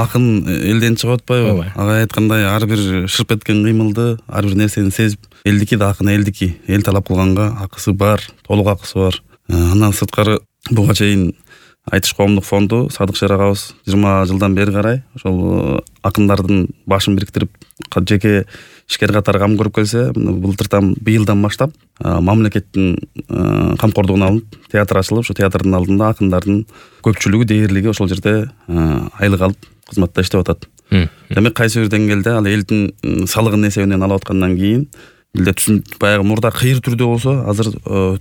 акын элден чыгып атпайбы? Ага айткандай ар бир шырп эткен кыймылды, ар бир нерсени сезип, элдики да акын элдики. Эл талап кылганга акысы бар, толук акысы бар. Андан сырткары буга чейин Айтыш коомдук фонду Садык Шер агабыз 20 жылдан бери карай ошол акындардын башын бириктирип жеке ишкер катары кам көрүп келсе, быйылдан баштап мамлекеттин камкордугуна алынып театр ачылып, ошо театрдын алдында акындардын көпчүлүгү дээрлиги ошол жерде айлык алып кызматта иштеп атат. Демек кайсы бир деңгээлде ал элдин салыгын эсебинен алып аткандан кийин элде баягы мурда кыйыр түрдө болсо, азыр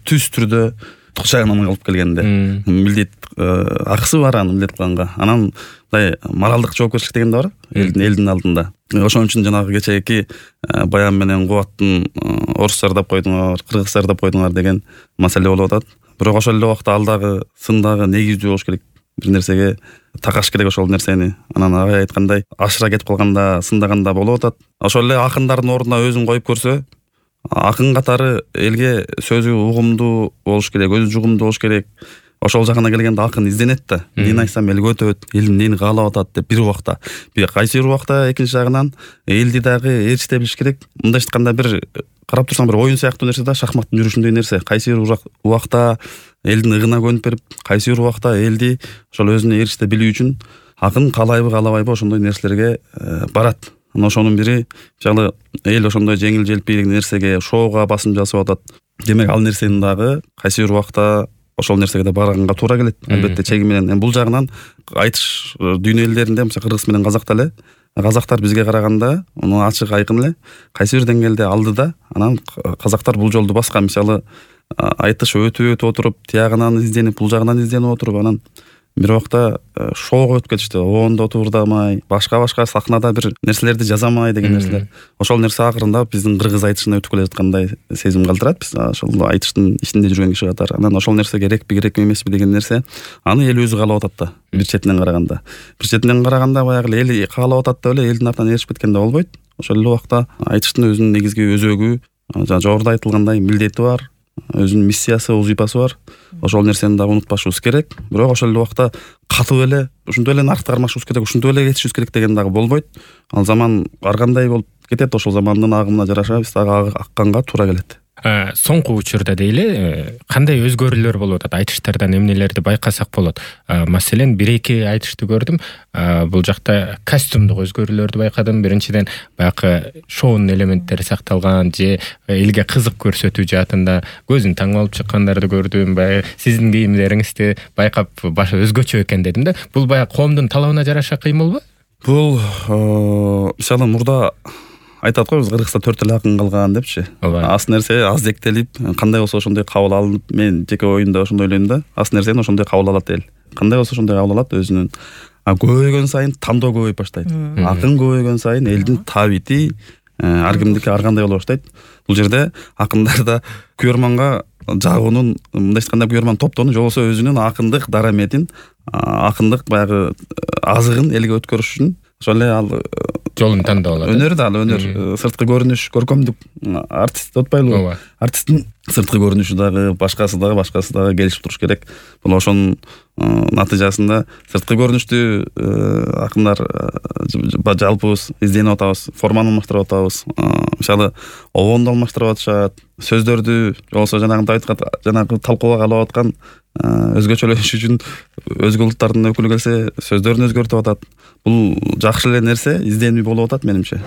түз түрдө жагынан алып келгенде милдет акысы бар анын милдет кылганга. Анан мындай моралдык жоопкерчилик деген да бар элдин алдында. Ошон үчүн жанагы кечээки Баян менен Кубаттын орусча ырдап койдуңар, кыргызча ырдап койдуңар деген маселе болуп атат. Бирок ошол эле убакта ал дагы сын дагы негиздүү болуш керек. Бир нерсеге такаш керек ошол нерсени. Анан агай айткандай ашыра кетип калганда, сындаганда болуп атат. Ошол эле акындардын ордуна өзүн коюп көрсө, акын катары элге сөзү угумдуу болуш керек, өзү жугумдуу болуш керек. Ошол жагына келгенде акын изденет да. Эмнени айтсам элге өтөт, элим эмнени каалап атат деп бир убакта. Кайсы бир убакта экинчи жагынан элди дагы ээрчите билиш керек. Мындайча айтканда бир карап турсаң бир оюн сыяктуу нерсе да, шахматтын жүрүшүндөй нерсе. Кайсы бир убакта элдин ыгына көнүп берип, кайсы бир убакта элди ошол өзүнө ээрчите билүү үчүн акын каалайбы каалабайбы ошондой нерселерге барат. Ошонун бири мисалы эл ошондой жеңил желпий нерсеге, шоуга басым жасап атат. Демек ал нерсени дагы кайсы бир убакта ошол нерсеге да барганга туура келет. Албетте чеги менен. Бул жагынан айтыш дүйнө элдеринде, мисалы кыргыз менен казак эле, казактар бизге караганда муну ачык айкын эле кайсы бир деңгээлде алдыда. Анан казактар бул жолду баскан. Мисалы айтыш өтүп отуруп, тиягынан изденип, бул жагынан изденип отуруп, анан бир убакта шоуга өтүп кетишти. Оондо турдамай, башка сахнада бир нерселерди жазамай деген нерселер. Ошол нерсе акырында биздин кыргыз айтышына өтүп келе жаткандай сезим калтырат. Биз ошол айтыштын ичинде жүргөн киши катары. Анан ошол нерсе керекпи, керекпи эмеспи деген нерсе аны эл өзү каалап атат да. Бир четинен караганда. Бир четинен караганда баягы эл каалап атат деп эле элдин артынан ээрчип кеткенде болбойт. Ошол эле убакта айтыштын өзүнүн негизги өзөгү, жогоруда айтылгандай милдети бар. Өзүнүн миссиясы, вазифасы бар. Ошол нерсени да унутпашыбыз керек. Бирок ошол эле убакта катуу эле, ушундай эле наркы кармашыбыз керек, ушундай эле кетишибиз керек деген дагы болбойт. Ал заман ар кандай болуп кетет, ошол замандын агымына жараша биз дагы акканга туура келет. Соңку учурда дейли кандай өзгөрүүлөр болуп атат? Айтыштардан эмнелерди байкасак болот? Маселен, бир-эки айтышты көрдүм. Бул жакта костюмдук өзгөрүүлөрдү байкадым. Биринчиден баягы шоунун элементтери сакталган, же элге кызык көрсөтүү жаатында көзүн таңып алып чыккандарды көрдүм. Баягы сиздин кийимдериңизди байкап башы өзгөчө экен дедим да. Бул баягы коомдун талабына жараша кыймылбы? Бул мисалы мурда айтат го, биз Кыргызда 4 эле акын калган депчи. Аз нерсе аз зектелип, кандай болсо ошондой кабыл алынып, мен жеке оюмда ошондой ойлойм да. Аз нерсени ошондой кабыл алат эл. Кандай болсо ошондой кабыл алат өзүнүн. Көбөйгөн сайын тандоо көбөйүп баштайт. Акын көбөйгөн сайын элдин табити ар кимдики ар кандай боло баштайт. Бул жерде акындарда күйөрманга жагуунун, мындайча айтканда күйөрман топтоонун же болбосо өзүнүн акындык дараметин, акындык баягы азыгын элге өткөрүш үчүн ошол эле ал жолун тандап алат. Өнөр да, ал өнөр, сырткы көрүнүш, көркөмдүк артист деп атпайлыбы? Артисттин сырткы көрүнүшү дагы, башкасы дагы келишип туруш керек. Бул ошонун натыйжасында сырткы көрүнүштү акындар жалпыбыз изденип атабыз, форманы алмаштырып атабыз. Мисалы, обонду алмаштырып атышат, сөздөрдү, же болбосо жанагы талкууга калып аткан өзгөчөлөш үчүн өзгө улуттардын өкүлү келсе сөздөрүн өзгөртүп атат. Бул жакшы эле нерсе, изденүү болуп атат менимче.